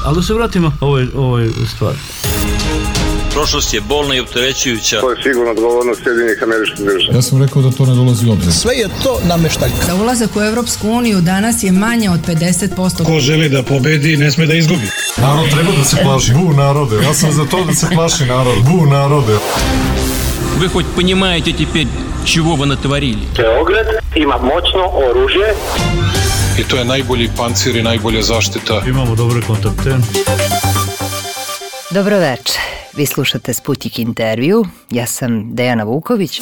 Ali da se vratimo ovoj stvari. Prošlost je bolna i opterećujuća. To je sigurno odgovornost Sjedinjenih Američkih Država. Ja sam rekao da to ne dolazi u obzir. Sve je to nameštaljka. Za ulazak u Evropsku uniju danas je manje od 50%. Ko želi da pobedi, ne sme da izgubi. Narod treba da se plaši. Bu narode. Ja sam za to da se plaši narod. Bu narode. Вы хоть понимаете теперь, чего вы натворили? Beograd ima moćno oružje. I to je najbolji pancir i najbolja zaštita. Imamo dobre kontakte. Dobro večer. Vi slušate Sputnik intervju. Ja sam Dejana Vuković.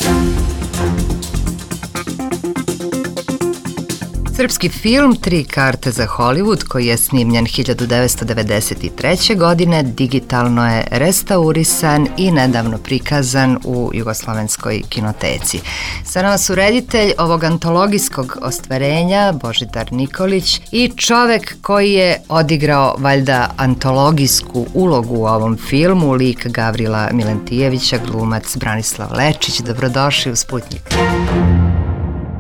Srpski film Tri karte za Hollywood, koji je snimljen 1993. godine, digitalno je restaurisan i nedavno prikazan u Jugoslovenskoj kinoteci. Sa nama su reditelj ovog antologijskog ostvarenja Božidar Nikolić i čovek koji je odigrao valjda antologijsku ulogu u ovom filmu, lik Gavrila Milentijevića, glumac Branislav Lečić. Dobrodošli u Sputnik.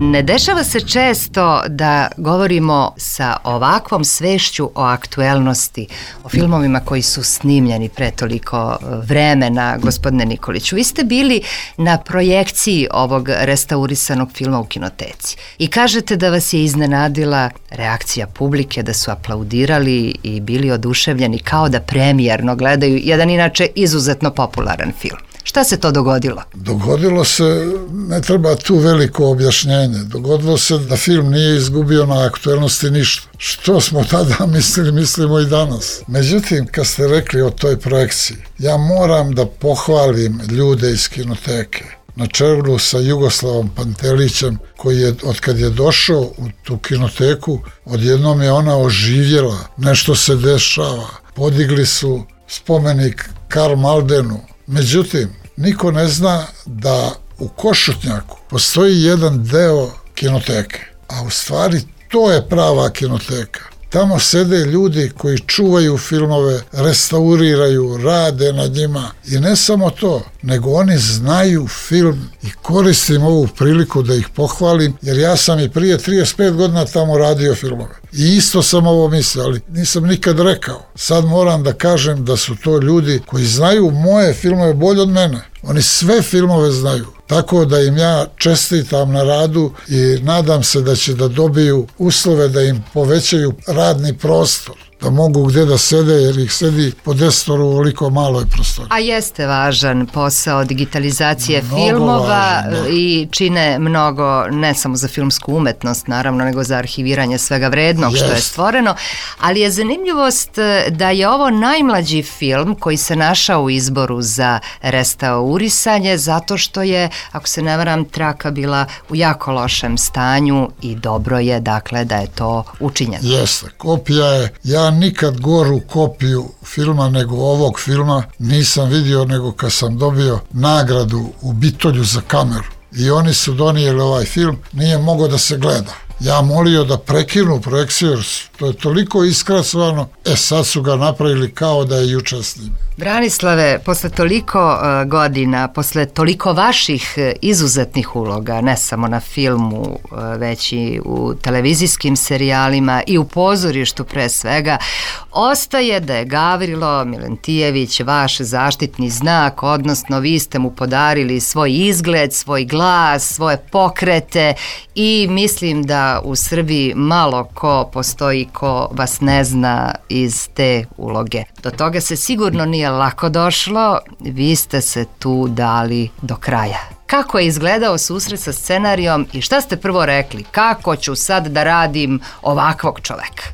Ne dešava se često da govorimo sa ovakvom svešću o aktuelnosti, o filmovima koji su snimljeni pre toliko vremena, gospodine Nikoliću. Vi ste bili na projekciji ovog restaurisanog filma u kinoteci i kažete da vas je iznenadila reakcija publike, da su aplaudirali i bili oduševljeni kao da premijerno gledaju jedan inače izuzetno popularan film. Šta se to dogodilo? Dogodilo se, ne treba tu veliko objašnjenje, dogodilo se da film nije izgubio na aktuelnosti ništa. Što smo tada mislili, mislimo i danas. Međutim, kad ste rekli o toj projekciji, ja moram da pohvalim ljude iz kinoteke, na čelu sa Jugoslavom Pantelićem, koji je, od kad je došao u tu kinoteku, odjednom je ona oživjela, nešto se dešava, podigli su spomenik Karl Maldenu. Međutim, niko ne zna da u Košutnjaku postoji jedan deo kinoteke, a u stvari to je prava kinoteka. Tamo sede ljudi koji čuvaju filmove, restauriraju, rade na njima i ne samo to, nego oni znaju film i koristim ovu priliku da ih pohvalim, jer ja sam i prije 35 godina tamo radio filmove. I isto sam ovo mislio, ali nisam nikad rekao. Sad moram da kažem da su to ljudi koji znaju moje filmove bolje od mene. Oni sve filmove znaju. Tako da im ja čestitam na radu i nadam se da će da dobiju uslove da im povećaju radni prostor, da mogu gde da sede, jer ih sedi po 10 u ovoliko maloj prostori. A jeste važan posao digitalizacije filmova i čine mnogo, ne samo za filmsku umetnost, naravno, nego za arhiviranje svega vrednog što je stvoreno, ali je zanimljivost da je ovo najmlađi film koji se našao u izboru za restaurisanje, zato što je, ako se ne varam, traka bila u jako lošem stanju i dobro je, dakle, da je to učinjeno. Jeste, kopija je, ja nikad goru kopiju filma nego ovog filma nisam vidio, nego kad sam dobio nagradu u Bitolju za kameru i oni su donijeli ovaj film, nije mogao da se gleda. Ja molio da prekinu projekciju, jer to je toliko iskrasovano, sad su ga napravili kao da je juče s njim. Branislave, posle toliko godina, posle toliko vaših izuzetnih uloga, ne samo na filmu, već i u televizijskim serijalima i u pozorištu pre svega, ostaje da je Gavrilo Milentijević vaš zaštitni znak, odnosno vi ste mu podarili svoj izgled, svoj glas, svoje pokrete i mislim da u Srbiji malo ko postoji ko vas ne zna iz te uloge. Do toga se sigurno nije lako došlo, vi ste se tu dali do kraja. Kako je izgledao susret sa scenarijom i šta ste prvo rekli? Kako ću sad da radim ovakvog čoveka?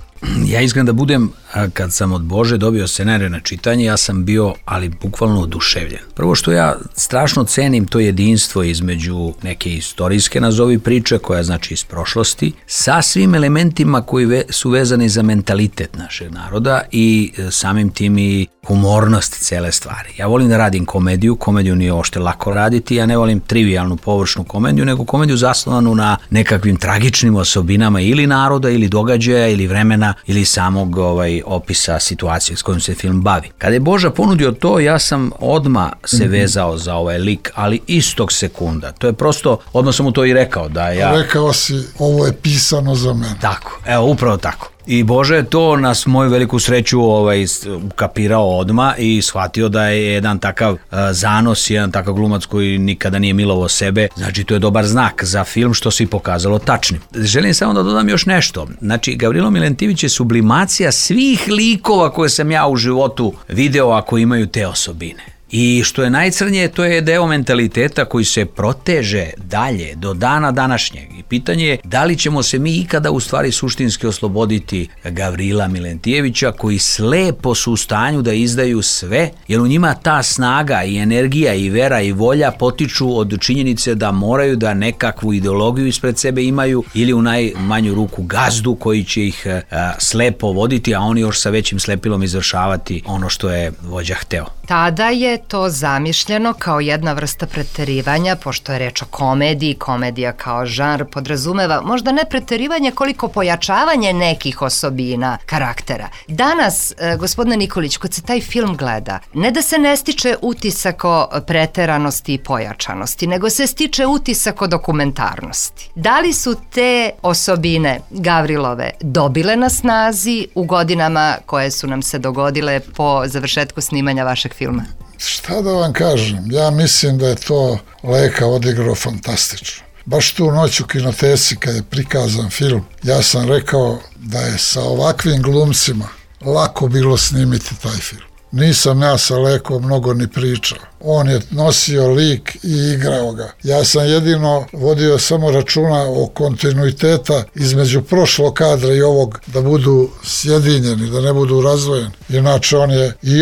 Ja iskren da budem, kad sam od Bože dobio scenarij na čitanje, ja sam bio, ali bukvalno oduševljen. Prvo što ja strašno cenim to jedinstvo između neke istorijske, nazovi priče, koja znači iz prošlosti, sa svim elementima koji su vezani za mentalitet našeg naroda i samim tim i humornost cele stvari. Ja volim da radim komediju nije ošte lako raditi, ja ne volim trivijalnu, površnu komediju, nego komediju zasnovanu na nekakvim tragičnim osobinama ili naroda, ili događaja, ili vremena, ili samog opisa situacije s kojom se film bavi. Kada je Boža ponudio to, ja sam odmah se vezao za ovaj lik, ali istog sekunda. To je prosto, odmah sam mu to i rekao da ja... Rekao si, ovo je pisano za mene. Tako, evo, upravo tako. I Bože je to na moju veliku sreću ukapirao odma i shvatio da je jedan takav zanos, jedan takav glumac koji nikada nije milovao sebe, znači to je dobar znak za film što se i pokazalo tačnim. Želim samo da dodam još nešto. Znači, Gavrilo Milentijević je sublimacija svih likova koje sam ja u životu video ako imaju te osobine. I što je najcrnije, to je deo mentaliteta koji se proteže dalje do dana današnjeg. I pitanje je da li ćemo se mi ikada u stvari suštinski osloboditi Gavrila Milentijevića koji slepo su u stanju da izdaju sve, jer u njima ta snaga i energija i vera i volja potiču od činjenice da moraju da nekakvu ideologiju ispred sebe imaju ili u najmanju ruku gazdu koji će ih slepo voditi, a oni još sa većim slepilom izvršavati ono što je vođa hteo. Tada je to zamišljeno kao jedna vrsta preterivanja, pošto je reč o komediji, komedija kao žanr podrazumeva možda ne preterivanje koliko pojačavanje nekih osobina karaktera. Danas, gospodine Nikolić, kad se taj film gleda, ne da se ne stiče utisak o preteranosti i pojačanosti, nego se stiče utisak o dokumentarnosti. Da li su te osobine Gavrilove dobile na snazi u godinama koje su nam se dogodile po završetku snimanja vašeg filma? Šta da vam kažem, ja mislim da je to Leka odigrao fantastično. Baš tu noć u kinoteci kad je prikazan film, ja sam rekao da je sa ovakvim glumcima lako bilo snimiti taj film. Nisam ja sa Lekom mnogo ni pričao. On je nosio lik i igrao ga. Ja sam jedino vodio samo računa o kontinuiteta između prošlog kadra i ovog, da budu sjedinjeni, da ne budu razdvojeni. Inače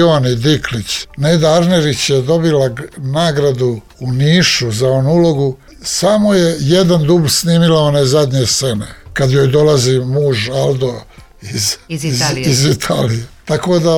on i Diklić. Neda Arnerić je dobila nagradu u Nišu za onu ulogu. Samo je jedan dubl snimila one zadnje scene. Kad joj dolazi muž Aldo iz Italije. Tako da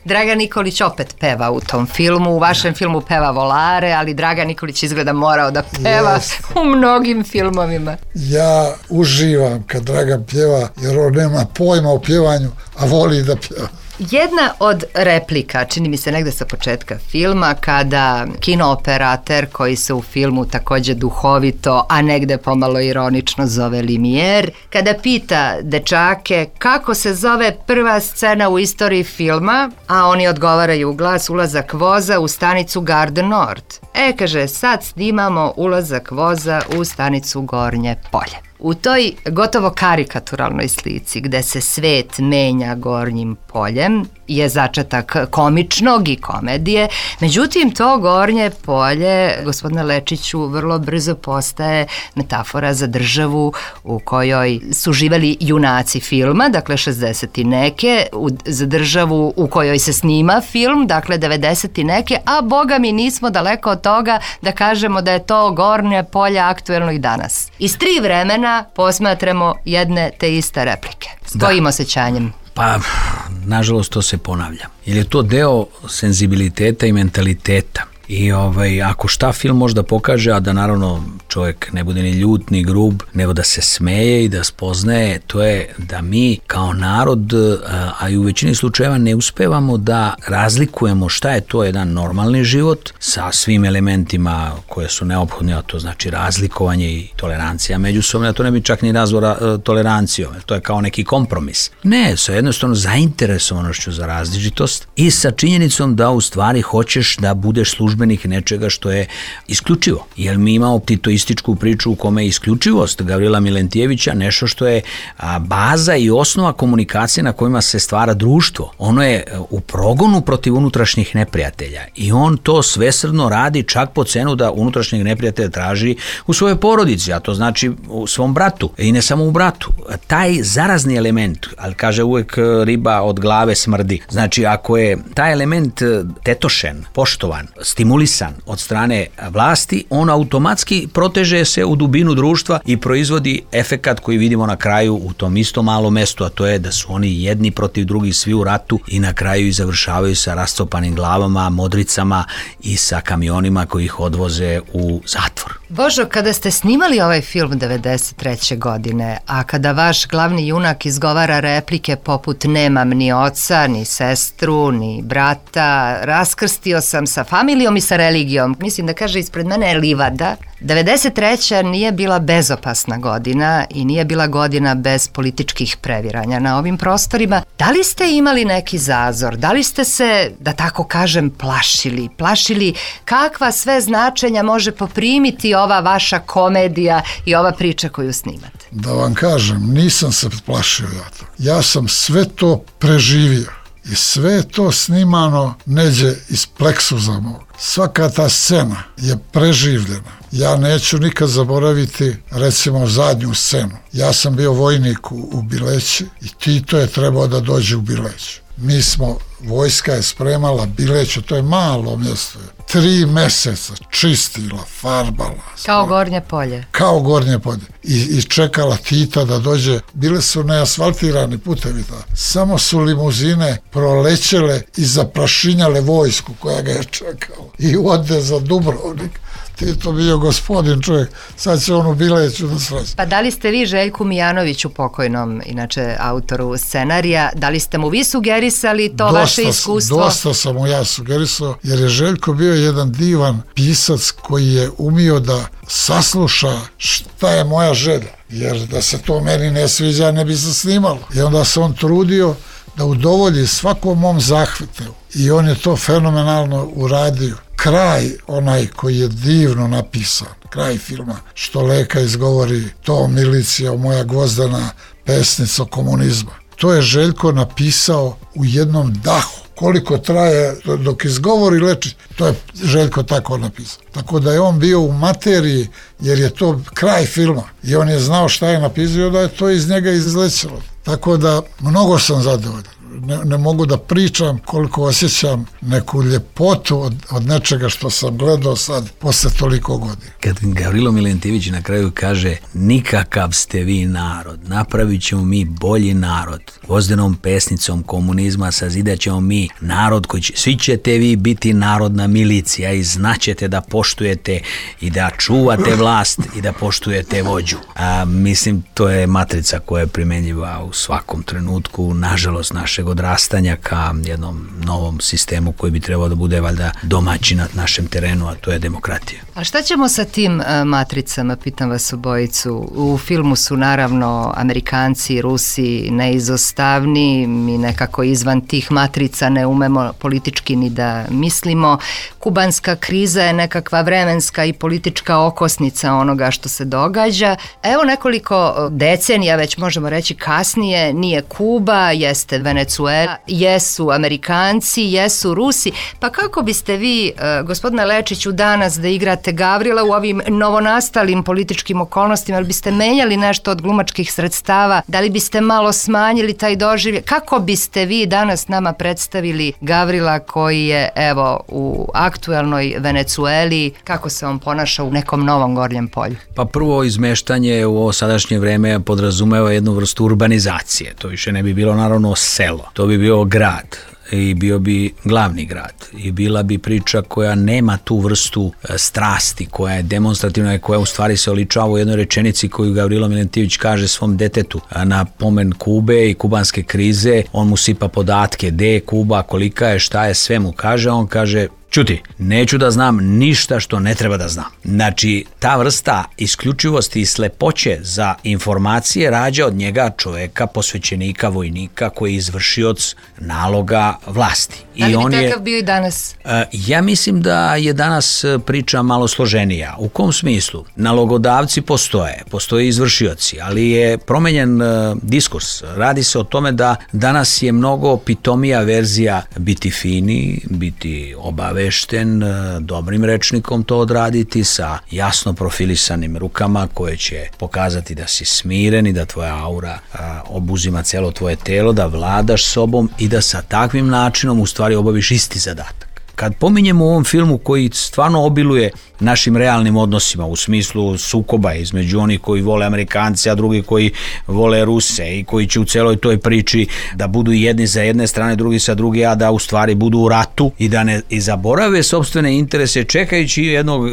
Dragan Nikolić opet peva u tom filmu, u vašem filmu peva Volare, ali Dragan Nikolić izgleda morao da peva u mnogim filmovima. Ja uživam kad Dragan pjeva, jer on nema pojma o pjevanju, a voli da pjeva. Jedna od replika, čini mi se negde sa početka filma, kada kinooperater koji se u filmu takođe duhovito, a negde pomalo ironično zove Limier, kada pita dečake kako se zove prva scena u istoriji filma, a oni odgovaraju u glas ulazak voza u stanicu Garde Nord. Kaže, sad snimamo ulazak voza u stanicu Gornje Polje. U toj gotovo karikaturalnoj slici gde se svet menja Gornjim poljem je začetak komičnog i komedije, međutim to Gornje polje, gospodine Lečiću, vrlo brzo postaje metafora za državu u kojoj su živeli junaci filma, dakle 60 i neke, za državu u kojoj se snima film, dakle 90 i neke, a boga mi nismo daleko od toga da kažemo da je to Gornje polje aktuelno i danas. Iz 3 vremena posmatramo jedne te iste replike. S kojim osjećanjem? Pa, nažalost, to se ponavlja. Jer je to deo senzibiliteta i mentaliteta. I ako šta film možda pokaže, a da naravno čovjek ne bude ni ljut, ni grub, nego da se smeje i da spoznaje, to je da mi kao narod, a i u većini slučajeva ne uspevamo da razlikujemo šta je to jedan normalni život sa svim elementima koje su neophodne, a to znači razlikovanje i tolerancija međusobno, a to ne bi čak ni nazvao tolerancijom, to je kao neki kompromis. Ne, sa jednostavno zainteresovanošću za različitost i sa činjenicom da u stvari hoćeš da budeš službenik nečega što je isključivo. Jer mi imamo titoističku priču u kome je isključivost Gavrila Milentijevića nešto što je baza i osnova komunikacije na kojima se stvara društvo. Ono je u progonu protiv unutrašnjih neprijatelja i on to svesrdno radi čak po cenu da unutrašnjeg neprijatelja traži u svojoj porodici, a to znači u svom bratu i ne samo u bratu. Taj zarazni element, ali kaže uvek riba od glave smrdi. Znači ako je taj element tetošen, poštovan, stimulisan od strane vlasti, on automatski proteže se u dubinu društva i proizvodi efekat koji vidimo na kraju u tom istom malom mestu, a to je da su oni jedni protiv drugih svi u ratu i na kraju i završavaju sa rascopanim glavama, modricama i sa kamionima koji ih odvoze u zatvor. Božo, kada ste snimali ovaj film 93. godine, a kada vaš glavni junak izgovara replike poput nemam ni oca, ni sestru, ni brata, raskrstio sam sa familijom, politikom i sa religijom. Mislim da kaže ispred mene je livada. 93. nije bila bezopasna godina i nije bila godina bez političkih previranja na ovim prostorima. Da li ste imali neki zazor? Da li ste se, da tako kažem, plašili kakva sve značenja može poprimiti ova vaša komedija i ova priča koju snimate? Da vam kažem, nisam se plašio ja to. Ja sam sve to preživio. I sve je to snimano neđe iz pleksuza mog. Svaka ta scena je preživljena. Ja neću nikad zaboraviti, recimo, zadnju scenu. Ja sam bio vojnik u Bileći i Tito je trebao da dođe u Bileću. Vojska je spremala Bileću, to je malo mjesto. 3 meseca čistila, farbala. Kao Gornje polje. Kao Gornje polje. I čekala Tita da dođe. Bile su neasfaltirani putevi. Samo su limuzine prolećele i zaprašinjale vojsku koja ga je čekala. I ode za Dubrovnik. Tito bio gospodin čovjek, sad će on u Bileću da sreći. Pa da li ste vi Željku Mijanoviću, pokojnom, inače autoru scenarija, da li ste mu vi sugerisali to vaše iskustvo? Dosta sam mu ja sugerisao, jer je Željko bio jedan divan pisac koji je umio da sasluša šta je moja želja, jer da se to meni ne sviđa ne bi se snimalo. I onda se on trudio da udovolji svakom mom zahvatu i on je to fenomenalno uradio. Kraj, onaj koji je divno napisan, kraj filma, što Leka izgovori, to milicija, moja Gvozdena, pesnica komunizma. To je Željko napisao u jednom dahu. Koliko traje dok izgovori Lečić, to je Željko tako napisao. Tako da je on bio u materiji, jer je to kraj filma i on je znao šta je napisao, da je to iz njega izlećelo. Tako da mnogo sam zadovoljan. Ne mogu da pričam koliko osjećam neku ljepotu od nečega što sam gledao sad posle toliko godina. Kad Gavrilo Milentijević na kraju kaže nikakav ste vi narod, napravit ćemo mi bolji narod, Gvozdenom pesnicom komunizma sazidat ćemo mi narod koji će, svi ćete vi biti narodna milicija i znaćete da poštujete i da čuvate vlast i da poštujete vođu. Mislim, to je matrica koja je primenjiva u svakom trenutku, nažalost, našeg odrastanja ka jednom novom sistemu koji bi trebao da bude valjda domaćin na našem terenu, a to je demokratija. A šta ćemo sa tim matricama, pitam vas obojicu? U filmu su naravno Amerikanci i Rusi neizostavni, mi nekako izvan tih matrica ne umemo politički ni da mislimo. Kubanska kriza je nekakva vremenska i politička okosnica onoga što se događa. Evo nekoliko decenija, već možemo reći kasnije, nije Kuba, jeste Venezuela, jesu Amerikanci, jesu Rusi. Pa kako biste vi, gospodine Lečiću, danas da igrate Gavrila u ovim novonastalim političkim okolnostima, ali biste menjali nešto od glumačkih sredstava, da li biste malo smanjili taj doživljaj? Kako biste vi danas nama predstavili Gavrila koji je, evo, u aktuelnoj Venecueli, kako se on ponaša u nekom novom Gornjem polju? Pa prvo, izmeštanje u ovo sadašnje vreme podrazumeva jednu vrstu urbanizacije. To više ne bi bilo naravno selo, to bi bio grad i bio bi glavni grad i bila bi priča koja nema tu vrstu strasti, koja je demonstrativna i koja u stvari se oličava u jednoj rečenici koju Gavrilo Milentijević kaže svom detetu na pomen Kube i kubanske krize. On mu sipa podatke, gde je Kuba, kolika je, šta je, sve mu kaže, on kaže: Čuti, neću da znam ništa što ne treba da znam. Znači, ta vrsta isključivosti i slepoće za informacije rađa od njega čoveka, posvećenika, vojnika, koji je izvršioc naloga vlasti. Da li bi takav bio i danas? Ja mislim da je danas priča malo složenija. U kom smislu? Nalogodavci postoje izvršioci, ali je promenjen diskurs. Radi se o tome da danas je mnogo pitomija verzija biti fini, biti obavešten, dobrim rečnikom to odraditi, sa jasno profilisanim rukama koje će pokazati da si smiren i da tvoja aura obuzima celo tvoje telo, da vladaš sobom i da sa takvim načinom u stvari obaviš isti zadatak. Kad pominjemo u ovom filmu koji stvarno obiluje našim realnim odnosima u smislu sukoba između onih koji vole Amerikanci, a drugi koji vole Ruse i koji će u celoj toj priči da budu jedni za jedne strane, drugi sa druge, a da u stvari budu u ratu i da ne zaborave sopstvene interese čekajući jednog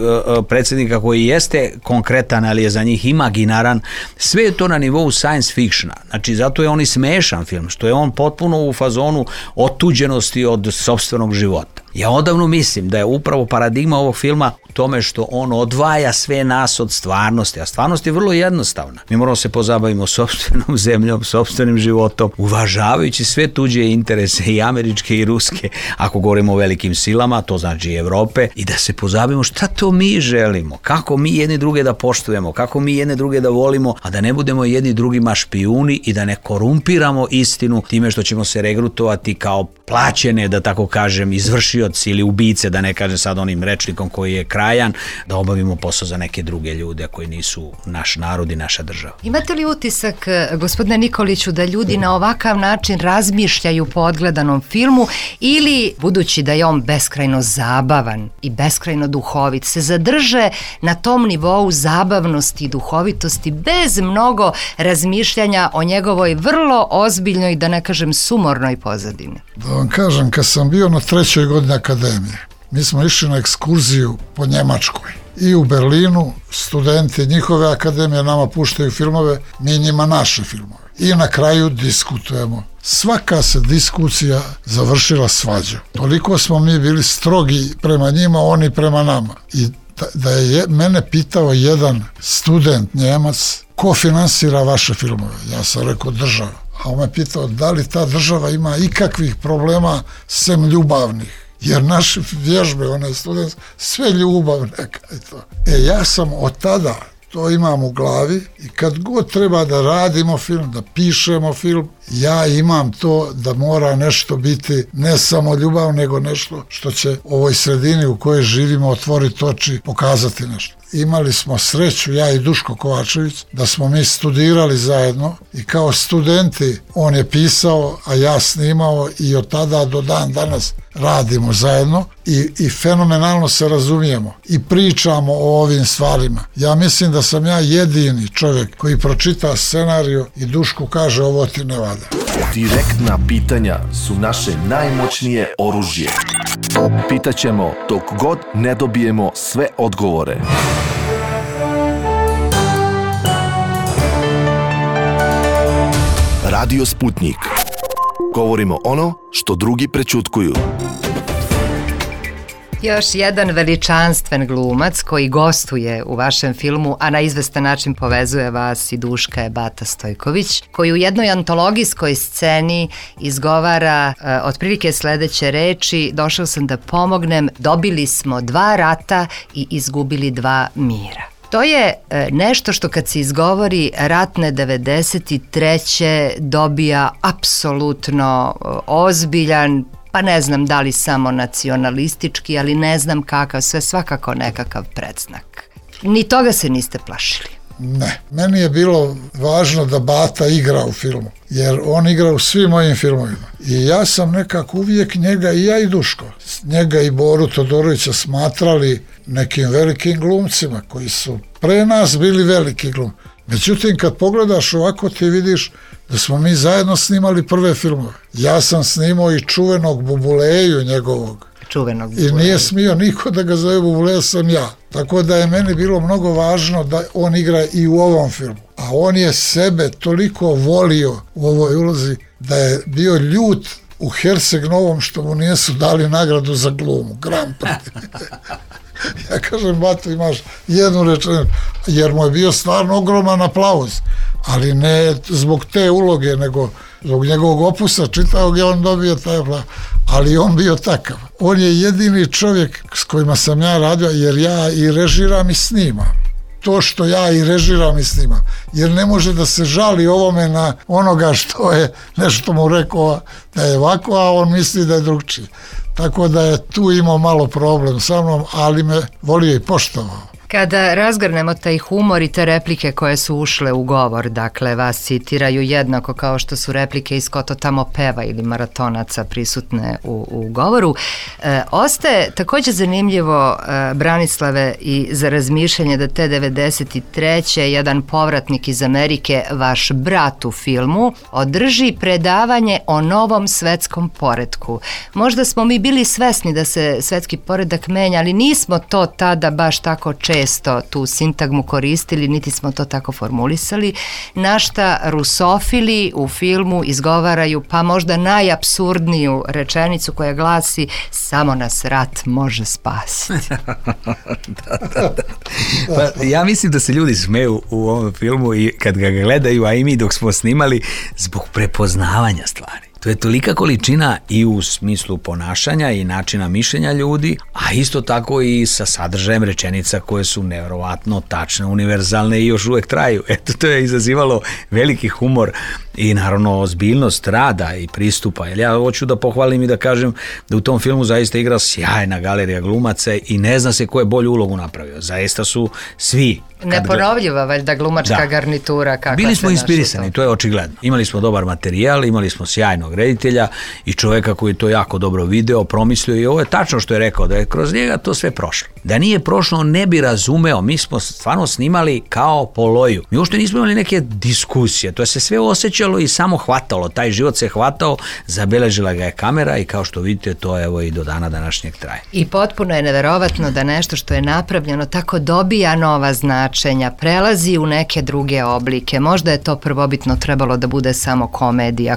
predsjednika koji jeste konkretan, ali je za njih imaginaran. Sve je to na nivou science fictiona. Znači, zato je on i smešan film, što je on potpuno u fazonu otuđenosti od sopstvenog života. Ja odavno mislim da je upravo paradigma ovog filma u tome što on odvaja sve nas od stvarnosti, a stvarnost je vrlo jednostavna. Mi moramo se pozabavimo sopstvenom zemljom, sopstvenim životom, uvažavajući sve tuđe interese i američke i ruske, ako govorimo o velikim silama, to znači i Evrope, i da se pozabavimo šta to mi želimo, kako mi jedni druge da poštujemo, kako mi jedne druge da volimo, a da ne budemo jedni drugima špijuni i da ne korumpiramo istinu time što ćemo se regrutovati kao plaćene, da tako kažem, izvršioci ili ubice, da ne kažem sad onim rečnikom koji je krajan, da obavimo posao za neke druge ljude koji nisu naš narod i naša država. Imate li utisak, gospodine Nikoliću, da ljudi na ovakav način razmišljaju po odgledanom filmu ili, budući da je on beskrajno zabavan i beskrajno duhovit, se zadrže na tom nivou zabavnosti i duhovitosti bez mnogo razmišljanja o njegovoj vrlo ozbiljnoj, da ne kažem sumornoj pozadini? Da vam kažem, kad sam bio na 3. godini akademije, mi smo išli na ekskurziju po Njemačkoj i u Berlinu studenti njihove akademije nama puštaju filmove, mi njima naše filmove. I na kraju diskutujemo. Svaka se diskusija završila svađom. Toliko smo mi bili strogi prema njima, oni prema nama. I da je mene pitao jedan student Njemac, ko finansira vaše filmove? Ja sam rekao država. A on me pitao da li ta država ima ikakvih problema sem ljubavnih. Jer naše vježbe, one student, sve ljubavne. Ja sam od tada to imam u glavi i kad god treba da radimo film, da pišemo film, ja imam to da mora nešto biti ne samo ljubav, nego nešto što će ovoj sredini u kojoj živimo otvoriti oči, pokazati nešto. Imali smo sreću, ja i Duško Kovačević, da smo mi studirali zajedno i kao studenti on je pisao, a ja snimao i od tada do dan danas radimo zajedno i fenomenalno se razumijemo i pričamo o ovim stvarima. Ja mislim da sam ja jedini čovjek koji pročita scenariju i Dušku kaže ovo ti ne valja. Direktna pitanja su naše najmoćnije oružje. Pitaćemo dok god ne dobijemo sve odgovore. Radio Sputnik. Govorimo ono što drugi prećutkuju. Još jedan veličanstven glumac koji gostuje u vašem filmu, a na izvestan način povezuje vas i Duška, je Bata Stojković, koji u jednoj antologijskoj sceni izgovara otprilike sledeće reči: došao sam da pomognem, dobili smo 2 rata i izgubili 2 mira. To je nešto što kad se izgovori ratne 93. dobija apsolutno ozbiljan, pa ne znam da li samo nacionalistički, ali ne znam kakav, sve svakako nekakav predznak. Ni toga se niste plašili? Ne, meni je bilo važno da Bata igra u filmu, jer on igra u svim mojim filmovima. I ja sam nekako uvijek njega, i ja i Duško, njega i Boru Todorovića smatrali nekim velikim glumcima koji su pre nas bili veliki glum. Međutim, kad pogledaš ovako ti vidiš da smo mi zajedno snimali prve filmove. Ja sam snimao i čuvenog Bubuleju njegovog. I nije smio niko da ga zove Bubuleja, sam ja. Tako da je meni bilo mnogo važno da on igra i u ovom filmu. A on je sebe toliko volio u ovoj ulozi da je bio ljut u Herceg Novom što mu nisu dali nagradu za glumu, Grand Prix. Ja kažem, Bato, imaš jednu rečenicu, jer mu je bio stvarno ogroman aplauz, ali ne zbog te uloge, nego zbog njegovog opusa čitavog je on dobio taj aplauz, ali on bio takav. On je jedini čovjek s kojima sam ja radio, jer ja i režiram i snimam. To što ja i režiram i snimam, jer ne može da se žali ovome na onoga što je nešto mu rekao da je ovako, a on misli da je drugčije. Tako da je tu imao malo problem sa mnom, ali me volio i poštovao. Kada razgrnemo taj humor i te replike koje su ušle u govor, dakle vas citiraju jednako kao što su replike iz Ko to tamo peva ili Maratonaca prisutne u govoru, ostaje također zanimljivo, Branislave, i za razmišljanje da te 93. jedan povratnik iz Amerike, vaš brat u filmu, održi predavanje o novom svetskom poretku. Možda smo mi bili svesni da se svetski poredak menja, ali nismo to tada baš tako često često tu sintagmu koristili, niti smo to tako formulisali, na šta rusofili u filmu izgovaraju pa možda najapsurdniju rečenicu koja glasi samo nas rat može spasiti. Da. Pa, ja mislim da se ljudi smeju u ovom filmu i kad ga gledaju, a i mi dok smo snimali, zbog prepoznavanja stvari. To je tolika količina i u smislu ponašanja i načina mišljenja ljudi, a isto tako i sa sadržajem rečenica koje su nevjerovatno tačne, univerzalne i još uvek traju. Eto, to je izazivalo veliki humor i naravno ozbiljnost rada i pristupa. Jer ja hoću da pohvalim i da kažem da u tom filmu zaista igra sjajna galerija glumaca i ne zna se ko je bolju ulogu napravio. Zaista su svi. Neponovljiva valjda glumačka garnitura. Bili smo inspirisani, to je očigledno. Imali smo dobar materijal, imali smo sjajnog reditelja i čoveka koji je to jako dobro video, promislio i ovo je tačno što je rekao, da je kroz njega to sve prošlo. Da nije prošlo, ne bi razumeo. Mi smo stvarno snimali kao po loju. Mi uopšte nismo imali neke diskusije, to je se sve osjećalo i samo hvatalo. Taj život se hvatao, zabeležila ga je kamera i kao što vidite, to evo i do dana današnjeg traje. I potpuno je neverovatno da nešto što je napravljeno tako dobija nova značenja, prelazi u neke druge oblike. Možda je to prvobitno trebalo da bude samo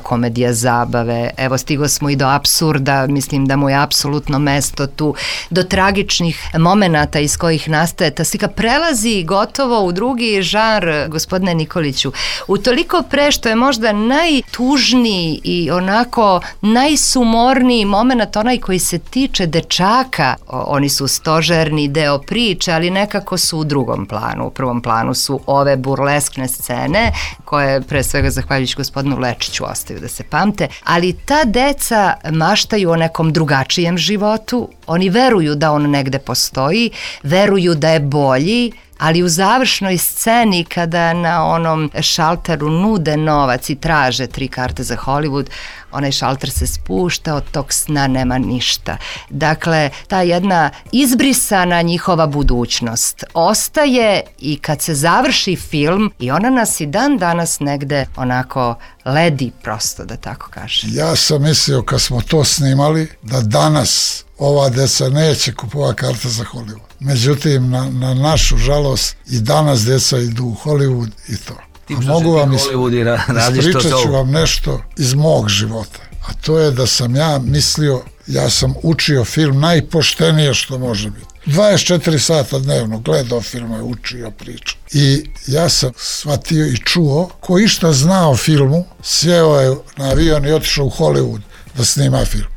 komedija zabave. Evo, stigo smo i do apsurda, mislim da mu je apsolutno mesto tu, do tragičnih momenata iz kojih nastaje ta slika, prelazi gotovo u drugi žanr, gospodine Nikoliću. Utoliko pre što je možda najtužniji i onako najsumorniji moment, onaj koji se tiče dečaka. Oni su stožerni deo priče, ali nekako su u drugom planu. U prvom planu su ove burleskne scene, koje pre svega zahvaljujući gospodinu Lečiću ostaju da se pamte, ali ta deca maštaju o nekom drugačijem životu, oni veruju da on negde postoji, veruju da je bolji, ali u završnoj sceni kada na onom šalteru nude novac i traže 3 karte za Hollywood, onaj šalter se spušta, od tog sna nema ništa. Dakle, ta jedna izbrisana njihova budućnost ostaje i kad se završi film i ona nas i dan danas negde onako ledi prosto, da tako kažem. Ja sam mislio kad smo to snimali da danas ova deca neće kupovati karte za Hollywood. Međutim, na našu žalost i danas deca idu u Hollywood i to. Mogu vam ispričat ću vam nešto iz mog života. A to je da sam ja mislio, ja sam učio film najpoštenije što može biti. 24 sata dnevno gledao filmove, učio, pričao. I ja sam shvatio i čuo, ko išta zna o filmu, sjeo je na avion i otišao u Hollywood da snima film.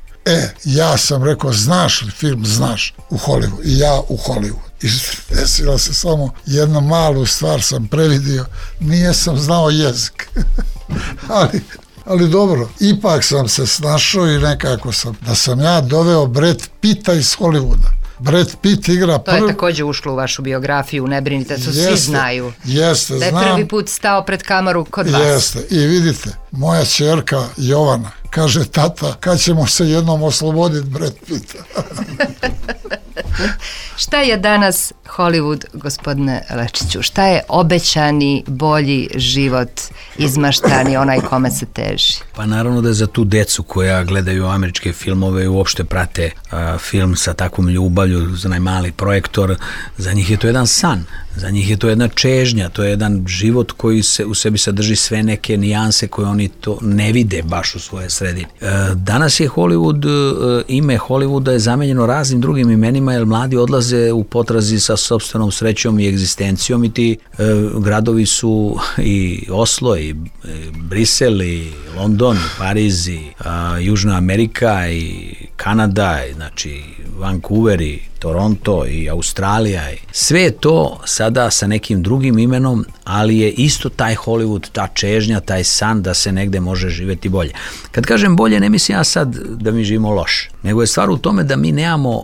Ja sam rekao, znaš li film, znaš, u Hollywood. I ja u Hollywood. I desila se samo jednu malu stvar sam previdio, nije sam znao jezik. Ali dobro, ipak sam se snašao i nekako da sam ja doveo Brad Pitta iz Hollywooda. Brad Pitt igra To je također ušlo u vašu biografiju, ne brinite, to svi znaju. Jeste, znam. Da je prvi put stao pred kameru kod vas. Jeste, i vidite, moja ćerka Jovana kaže, tata, kad ćemo se jednom osloboditi Brad Pitta? Šta je danas Hollywood, gospodine Lečiću? Šta je obećani, bolji život, izmaštani, onaj kome se teži? Pa naravno da je za tu decu koja gledaju američke filmove i uopšte prate film sa takvom ljubavlju, za najmali projektor, za njih je to jedan san. Za njih je to jedna čežnja, to je jedan život koji se u sebi sadrži sve neke nijanse koje oni to ne vide baš u svoje sredini. Danas je Hollywood, ime Hollywooda je zamenjeno raznim drugim imenima jer mladi odlaze u potrazi sa sopstvenom srećom i egzistencijom i ti gradovi su i Oslo i Brisel i London i Pariz i Južna Amerika i Kanada, znači Vancouver i Toronto i Australija. Sve je to sada sa nekim drugim imenom, ali je isto taj Hollywood, ta čežnja, taj san da se negde može živjeti bolje. Kad kažem bolje, ne mislim ja sad da mi živimo loše, nego je stvar u tome da mi nemamo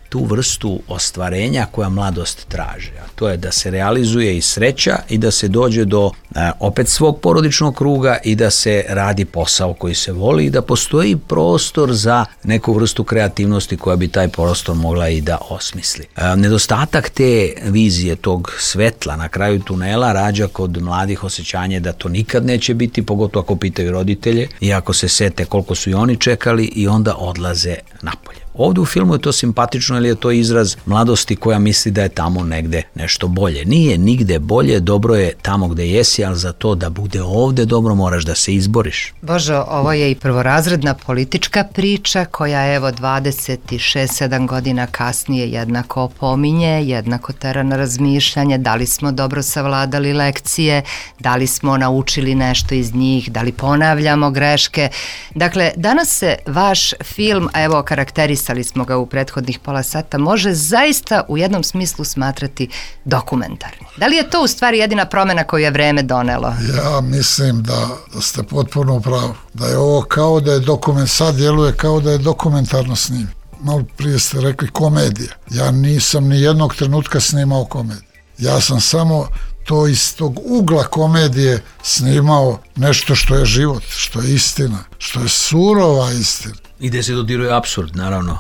tu vrstu ostvarenja koja mladost traže. A to je da se realizuje i sreća i da se dođe do opet svog porodičnog kruga i da se radi posao koji se voli i da postoji prostor za neku vrstu kreativnosti koja bi taj prostor mogla i da osmisli. Nedostatak te vizije, tog svetla na kraju tunela rađa kod mladih osjećanje da to nikad neće biti, pogotovo ako pitaju roditelje i ako se sete koliko su i oni čekali i onda odlaze napolje. Ovdje u filmu je to simpatično, jer je to izraz mladosti koja misli da je tamo negde nešto bolje. Nije nigde bolje, dobro je tamo gde jesi, ali za to da bude ovdje dobro moraš da se izboriš. Božo, ovo je i prvorazredna politička priča koja evo 26-7 godina kasnije jednako opominje, jednako tera na razmišljanje, da li smo dobro savladali lekcije, da li smo naučili nešto iz njih, da li ponavljamo greške. Dakle, danas se vaš film, a evo karakterisali smo ga u prethodnih pola sata, može zaista u jednom smislu smatrati dokumentarni. Da li je to u stvari jedina promjena koju je vreme donelo? Ja mislim da ste potpuno u pravu. Da je ovo kao da je sad djeluje kao da je dokumentarno snim. Malo prije ste rekli komedija. Ja nisam ni jednog trenutka snimao komediju. Ja sam samo to iz tog ugla komedije snimao nešto što je život, što je istina, što je surova istina. I gde se dodiruje apsurd, naravno.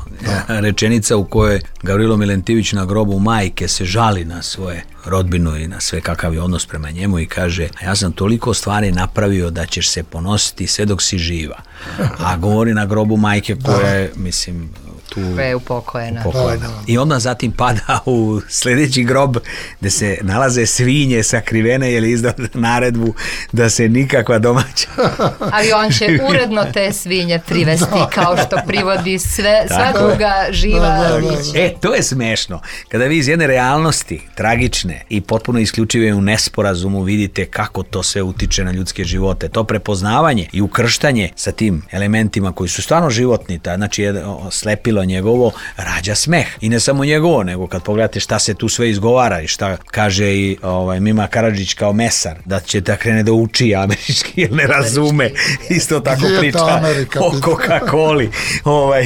Rečenica u kojoj Gavrilo Milentivić na grobu majke se žali na svoje rodbinu i na sve kakav je odnos prema njemu i kaže, ja sam toliko stvari napravio da ćeš se ponositi sve dok si živa. A govori na grobu majke koja je, mislim, tu je upokojena. I onda zatim pada u sljedeći grob gde se nalaze svinje sakrivene jer je izdao naredbu da se nikakva domaća... Ali on će uredno te svinje privesti kao što privodi sva druga živa bića. To je smešno. Kada vi iz jedne realnosti, tragične i potpuno isključive u nesporazumu vidite kako to sve utiče na ljudske živote, to prepoznavanje i ukrštanje sa tim elementima koji su stvarno životni, znači slepilo njegovo rađa smeh. I ne samo njegovo, nego kad pogledate šta se tu sve izgovara i šta kaže i Mima Karadžić kao mesar, da će da krene da uči američki jer ne razume. Isto tako priča o Coca-Coli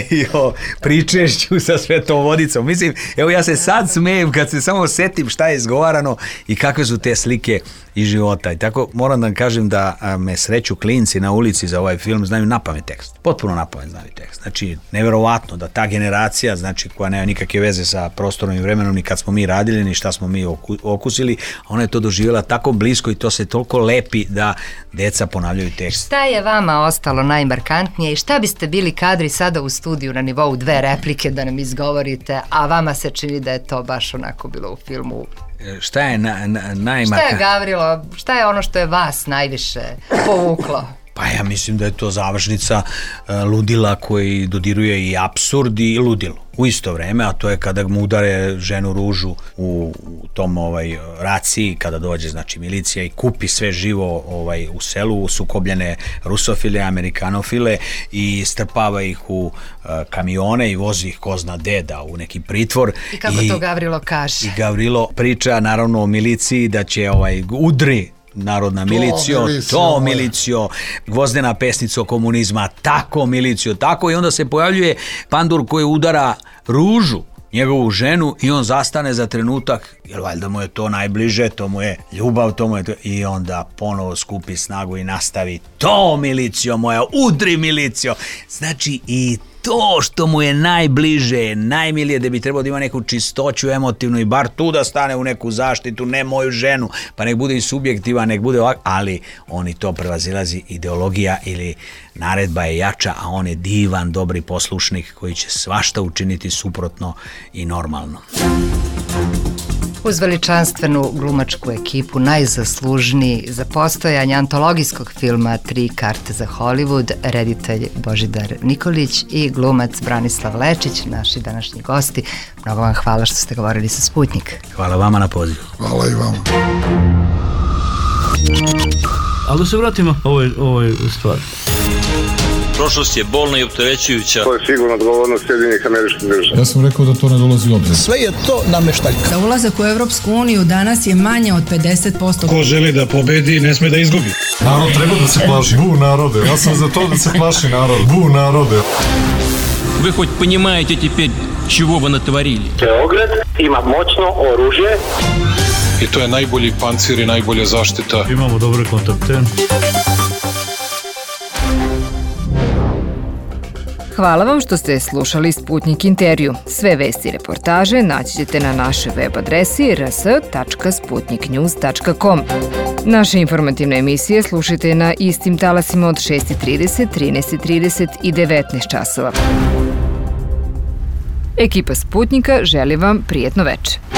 i o pričešću sa Svetom vodicom. Mislim, evo ja se sad smejem kad se samo setim šta je izgovarano i kakve su te slike iz života. I tako moram da kažem da me sreću klinci na ulici za ovaj film znaju napamet tekst. Potpuno napamet znaju tekst. Znači, neverovatno da ta generacija, znači koja nema nikakve veze sa prostorom i vremenom ni kad smo mi radili, ni šta smo mi okusili, ona je to doživjela tako blisko i to se toliko lepi da deca ponavljaju tekst. Šta je vama ostalo najmarkantnije i šta biste bili kadri sada u studiju na nivou 2 replike da nam izgovorite, a vama se čini da je to baš onako bilo u filmu? Šta je najmarkantnije? Šta je, Gavrilo, šta je ono što je vas najviše povuklo? Pa ja mislim da je to završnica ludila koji dodiruje i apsurd i ludilo u isto vreme, a to je kada mu udare ženu Ružu u tom raciji, kada dođe znači milicija i kupi sve živo u selu, sukobljene rusofile, amerikanofile i strpava ih u kamione i vozi ih ko zna deda u neki pritvor. I kako to Gavrilo kaže? I Gavrilo priča naravno o miliciji da će udri narodna milicijo, Gvozdena pesnica komunizma, tako milicijo, tako i onda se pojavljuje pandur koji udara Ružu, njegovu ženu i on zastane za trenutak, jer valjda mu je to najbliže, to mu je ljubav, to mu je to, i onda ponovo skupi snagu i nastavi, to milicijo moja, udri milicijo, znači i to što mu je najbliže, najmilije, da bi trebalo da ima neku čistoću emotivnu i bar tu da stane u neku zaštitu, ne moju ženu, pa nek bude i subjektivan, nek bude ovak, ali on i to prevazilazi, ideologija ili naredba je jača, a on je divan, dobri poslušnik koji će svašta učiniti suprotno i normalno. Uz veličanstvenu glumačku ekipu, najzaslužniji za postojanje antologijskog filma 3 karte za Hollywood, reditelj Božidar Nikolić i glumac Branislav Lečić, naši današnji gosti. Mnogo vam hvala što ste govorili sa Sputnik. Hvala vama na pozivu. Hvala i vama. Ali da se vratimo ovoj stvari. Prošlost je bolna i opterećujuća. To je sigurno odgovornost Sjedinjenih Američkih Država. Ja sam rekao da to ne dolazi u obzir. Sve je to nameštaljka. Za ulazak u Evropsku uniju danas je manje od 50%. Ko želi da pobedi, ne sme da izgubi. Narod treba da se plaši. Bu narode. Ja sam za to da se plaši narod. Bu narode. Вы хоть понимаете теперь, чего вы натворили? Beograd ima moćno oružje. i to je najbolji pancir i najbolja zaštita. Imamo dobre kontakte. Hvala vam što ste slušali Sputnik intervju. Sve vesti i reportaže naći ćete na našoj web adresi rs.sputniknews.com. Naše informativne emisije slušajte na istim talasima od 6:30, 13:30 i 19 časova. Ekipa Sputnika želi vam prijetno veče.